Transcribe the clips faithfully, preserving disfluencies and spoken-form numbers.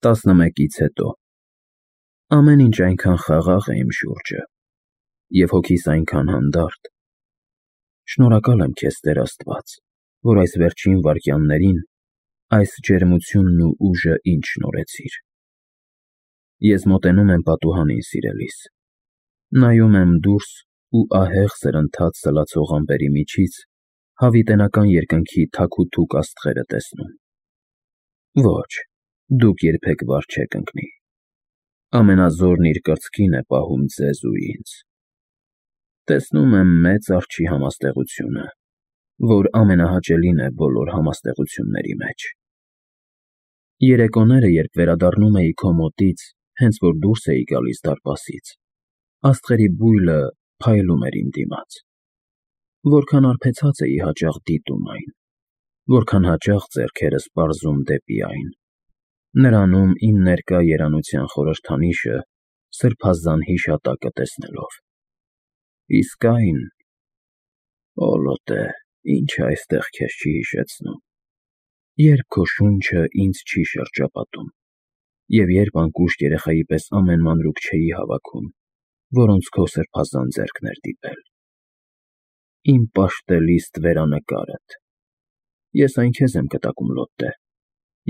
տասնմեկից հետո ամեն ինչ այնքան խաղաղ է իմ շուրջը, և հոգիս այնքան հանդարտ։ Շնորհակալ եմ քեզ, Տեր Աստված, որ այս վերջին վայրկյաններին այս ջերմությունն ու ուժը ինձ շնորհեցիր։ Ես մոտենում եմ պատուհանին, սիրելիս, նայում եմ դուրս ու ահեղ սրընթաց սլացող ամպերի միջից հավիտենական երկնքի թաքութուկ աստղերը տեսնում։ Ոչ, դուք երբեք վար չեք ընկնի։ Ամենազորն իր կրծքին է պահում ձեզ ու ինձ։ Տեսնում եմ մեծ արջի համաստեղությունը, որ ամենահաճելին է բոլոր համաստեղությունների մեջ։ Երեկոները, երբ վերադառնում էի քո մոտից, հենց որ դուրս էի գալիս դարպասից, աստղերի բույլը փայլում էր իմ դիմաց։ Որքան արբեցած էի հաճախ դիտում այն, որքան հաճախ ձեռքերս պարզում դեպի այն, նրանում իմ ներկա երանության խորհրդանիշը սրբազան հիշատակը տեսնելով։ Իսկ այն… Օ Լոտե, ի՞նչը այստեղ քեզ չի հիշեցնում, երբ քո շունչը ինձ չի շրջապատում, և երբ անկուշտ երեխայի պես ամեն մանրուք չէի հավաքում, որոնց քո սրբազան ձեռքն էր դիպել։ Իմ պաշտելի ստվերանկարդ… Ես այն քեզ եմ կտակում, Լոտտե,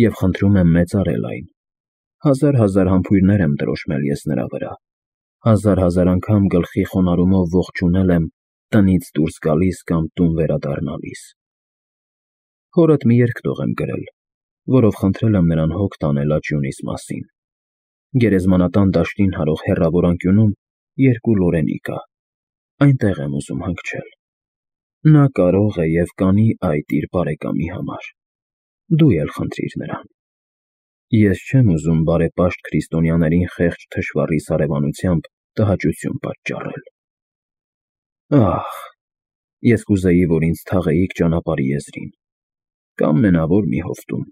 և խնդրում եմ մեծարել այն։ Հազար֊հազար համբույրներ եմ տրոշմել ես նրա վրա, հազար֊հազար անգամ գլխի խոնարհումով ողջունել եմ տնից դուրս գալիս կամ տուն վերադառնալիս։ Հորդ մի երգ տող եմ գրել, որով խնդրել եմ նրան հոգ տանել աջյունիս մասին։ Գերեզմանատան դաշտին հարող հեռավոր անկյունում երկու լորենի կա, այնտեղ եմ ուզում հանգչել։ Նա կարող է և կանի այդ իր բարեկամի համար, դու էլ խնդրիր նրան։ Ես չեմ ուզում բարեպաշտ քրիստոնյաներին խեղճ թշվառիս հարևանությամբ տհաճություն պատճառել։ Ահ, ես կուզեի, որ ինձ թաղեիք ճանապարհի եզրին, կամ մենավոր մի հովտում,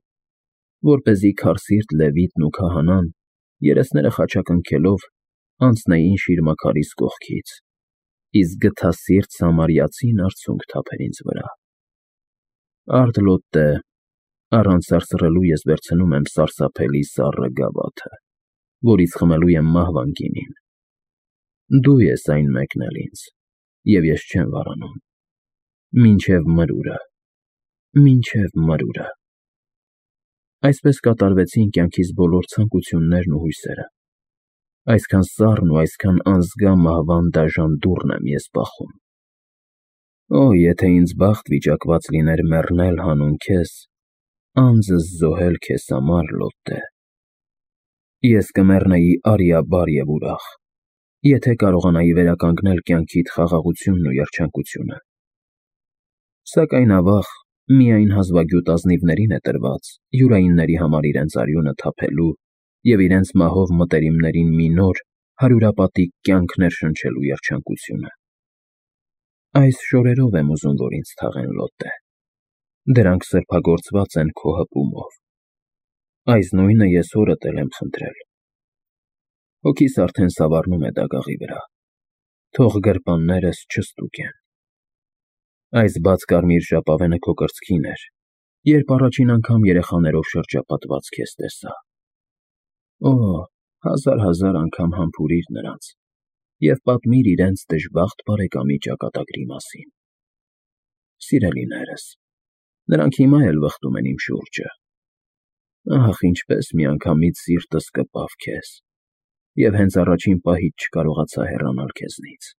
որպեսզի քարսիրտ Լևիտն ու քահանան, երեսները խաչակնքելով, անցնեին շիրմաքարիս կողքից, իսկ գթասիրտ սամարյացին արցունք թափեր ինձ վրա։ Արդ Լոտտե, առանց սարսռելու ես վերցնում եմ սարսափելի սառը գավաթը, որից խմելու եմ մահվան գինին։ Դու ես այն մեկնել ինձ, և ես չեմ վարանում։ Մինչև մրուրը, մինչև մրուրը։ Այսպես կատարվեցին կյանքիս բոլոր ցանկություններն ու հույսերը։ Այսքան սառն ու այսքան անզգա մահվան դաժան դուռն եմ ես բախում։ Օ, եթե ինձ բախտ վիճակված լիներ մեռնել հանուն քեզ, անձս զոհել քեզ համար, Լոտտե։ Ես կմեռնեի արիաբար և ուրախ, եթե կարողանայի վերականգնել կյանքիդ խաղաղությունն ու երջանկությունը։ Սակայն ավաղ, միայն հազվագյուտ ազնիվներին է տրված յուրայինների համար իրենց արյունը թափելու և իրենց մահով մտերիմներին մի նոր, հարյուրապատիկ կյանք ներշնչելու երջանկությունը։ Այս շորերով եմ ուզում, որ ինձ թաղեն, Լոտտե։ Դրանք սրբագործված են քո հպումով։ Այս նույնը ես հորդ էլ եմ խնդրել։ Հոգիս արդեն սավառնում է դագաղի վրա, թող գրպաններս չստուգեն։ Այս բաց կարմիր ժապավենը քո կրծքին էր, երբ առաջին անգամ երեխաներով շրջապատված քեզ տեսա։ Օ, հազար֊հազար անգամ համբուրիր նրանց և պատմիր իրենց դժբախտ բարեկամի ճակատագրի մասին։ Սիրելիներս, նրանք հիմա էլ վխտում են իմ շուրջը։ Ահ, ինչպես միանգամից սիրտս կպավ քեզ, և հենց առաջին պահից չկարողացա հեռանալ քեզնից։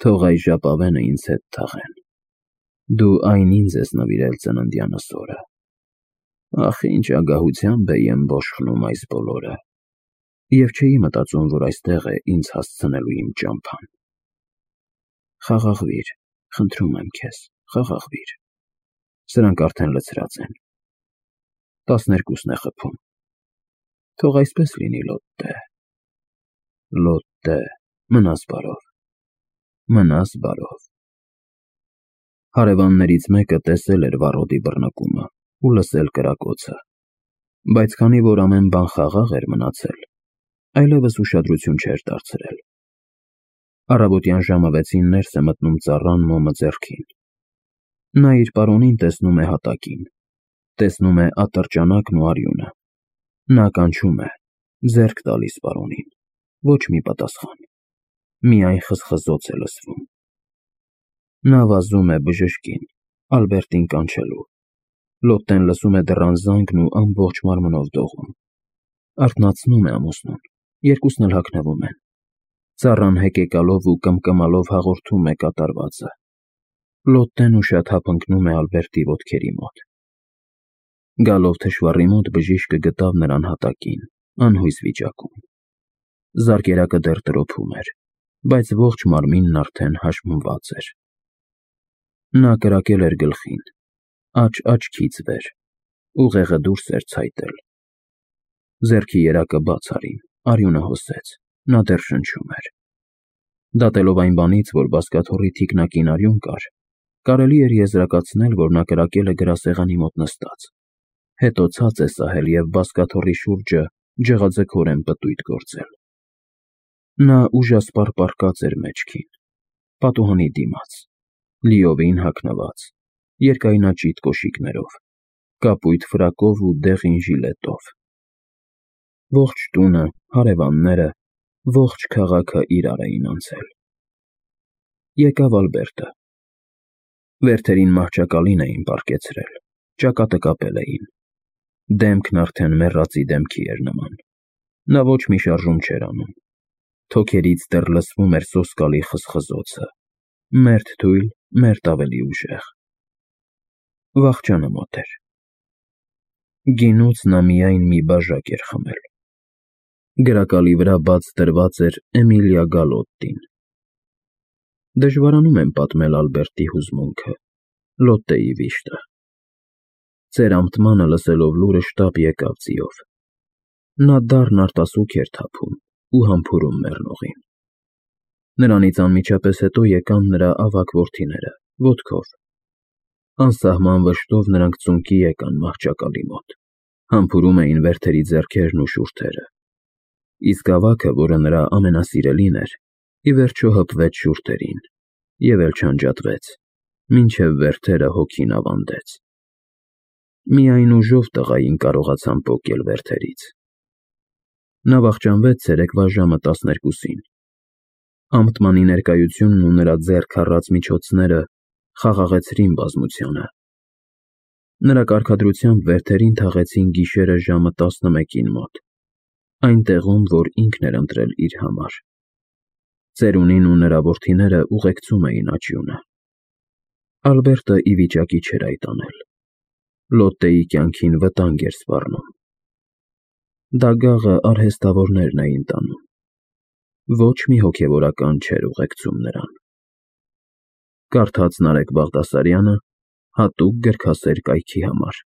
Թող այս ժապավենը ինձ հետ թաղեն։ Դու այն ինձ ես նվիրել ծննդյանս օրը։ Ախ, ինչ ագահությամբ էի ըմբոշխնում այս բոլորը, և չէի մտածում, որ այստեղ է ինձ հասցնելու իմ ճամփան։ Խաղաղվիր, խնդրում եմ քեզ, խաղաղվիր։ Սրանք արդեն լցրած են։ Տասներկուսն է խփում։ Թող այսպես լինի, Լոտտե։ Լոտտե, մնաս բարով, մնաս բարով։ Հարևաններից մեկը տեսել էր վառոդի բռնկումը ու լսել կրակոցը, բայց քանի որ ամեն բան խաղաղ էր մնացել, այլևս ուշադրություն չէր դարձրել։ Առավոտյան ժամը վեցին ներս է մտնում ծառան մոմը ձեռքին։ Նա իր պարոնին տեսնում է հատակին, տեսնում է ատրճանակն ու արյունը։ Նա կանչում է, ձեռք տալիս պարոնին, ոչ մի պատասխան, միայն խզխզոց է լսվում։ Նա վազում է բժշկին, Ալբերտին կանչելու։ Լոտտեն լսում է դռան զանգն ու ամբողջ մարմնով դողում։ Արթնացնում է ամուսնուն, երկուսն էլ հագնվում են։ Ծառան հեկեկալով ու կմկմալով հաղորդում է կատարվածը։ Լոտտեն ուշաթափ ընկնում է Ալբերտի ոտքերի մոտ։ Գալով թշվառի մոտ բժիշկը գտավ նրան հատակին, անհույս վիճակում։ Զարկերակը դեռ տրոփում էր, բայց ողջ մարմինն արդեն հաշմված էր։ Նա կրակել էր գլխին, աջ աչքից վեր, ուղեղը դուրս էր ցայտել։ Ձեռքի երակը բաց արին, արյունը հոսեց, նա դեռ շնչում էր։ Դատելով այն բանից, որ բազկաթոռի թիկնակին արյուն կար, կարելի էր եզրակացնել, որ նա կրակել է գրասեղանի մոտ նստած, հետո ցած է սահել և բազկաթոռի շուրջը ջղաձգորեն պտույտ գործել։ Նա ուժասպառ պառկած էր մեջքին, պատուհանի դիմաց, լիովին հագնված, երկայնաճիտ կոշիկներով, կապույտ ֆրակով ու դեղին ժիլետով։ Ողջ տունը, հարևանները, ողջ քաղաքը իրար էին անցել։ Եկավ Ալբերտը։ Վերթերին մահճակալին էին պառկեցրել, ճակատը կապել էին։ Դեմքն արդեն մեռածի դեմքի էր նման։ Նա ոչ մի շարժում չէր անում։ Թոքերից դեռ լսվում էր սոսկալի խզխզոցը, մերթ թույլ, մերթ ավելի ուժեղ։ Վախճանը մոտ էր։ Գինուց նա միայն մի բաժակ էր խմել։ Գրակալի վրա բաց դրված էր Էմիլիա Գալոտտին։ Դժվարանում եմ պատմել Ալբերտի հուզմունքը, Լոտտեի վիշտը։ Ծերամտմանը լսելով լուրը շտապ եկավ ձիով։ Նա դառն արտասուք էր թափում ու համբուրում մեռնողին։ Նրանից անմիջապես հետո եկան նրա ավագ որդիները, ոտքով։ Անսահման վշտով նրանք ծունկի եկան մահճակալի մոտ, համբուրում էին վերթերի ձեռքերն ու շուրթերը։ Իսկ ավագը, որը նրա ամենասիրելին էր, ի վերջո հպվեց շուրթերին և էլ չանջատվեց, մինչև վերթերը հոգին ավանդեց։ Միայն ուժով տղային կարողացան պոկել վերթերից։ Նա վախճանվեց ցերեկվա ժամը տասներկուսին։ Ամտմանի ներկայությունն ու նրա ձեռք առած միջոցները խաղաղեցրին բազմությանը։ Նրա կարգադրությամբ վերթերին թաղեցին գիշերը ժամը տասնմեկին մոտ, այն տեղում, որ ինքն էր ընտրել իր համար։ Ծերունին ու նրա որդիները ուղեկցում էին աճյունը։ Ալբերտը ի վիճակի չէր այդ անել։ Լոտտեի կյանքին վտանգ էր սպառնում։ Դագաղը արհեստավորներն էին տանում։ Ոչ մի հոգևորական չէր ուղեկցում նրան։ Կարդաց Նարեկ Բաղդասարյանը հատուկ գրքասեր կայքի համար։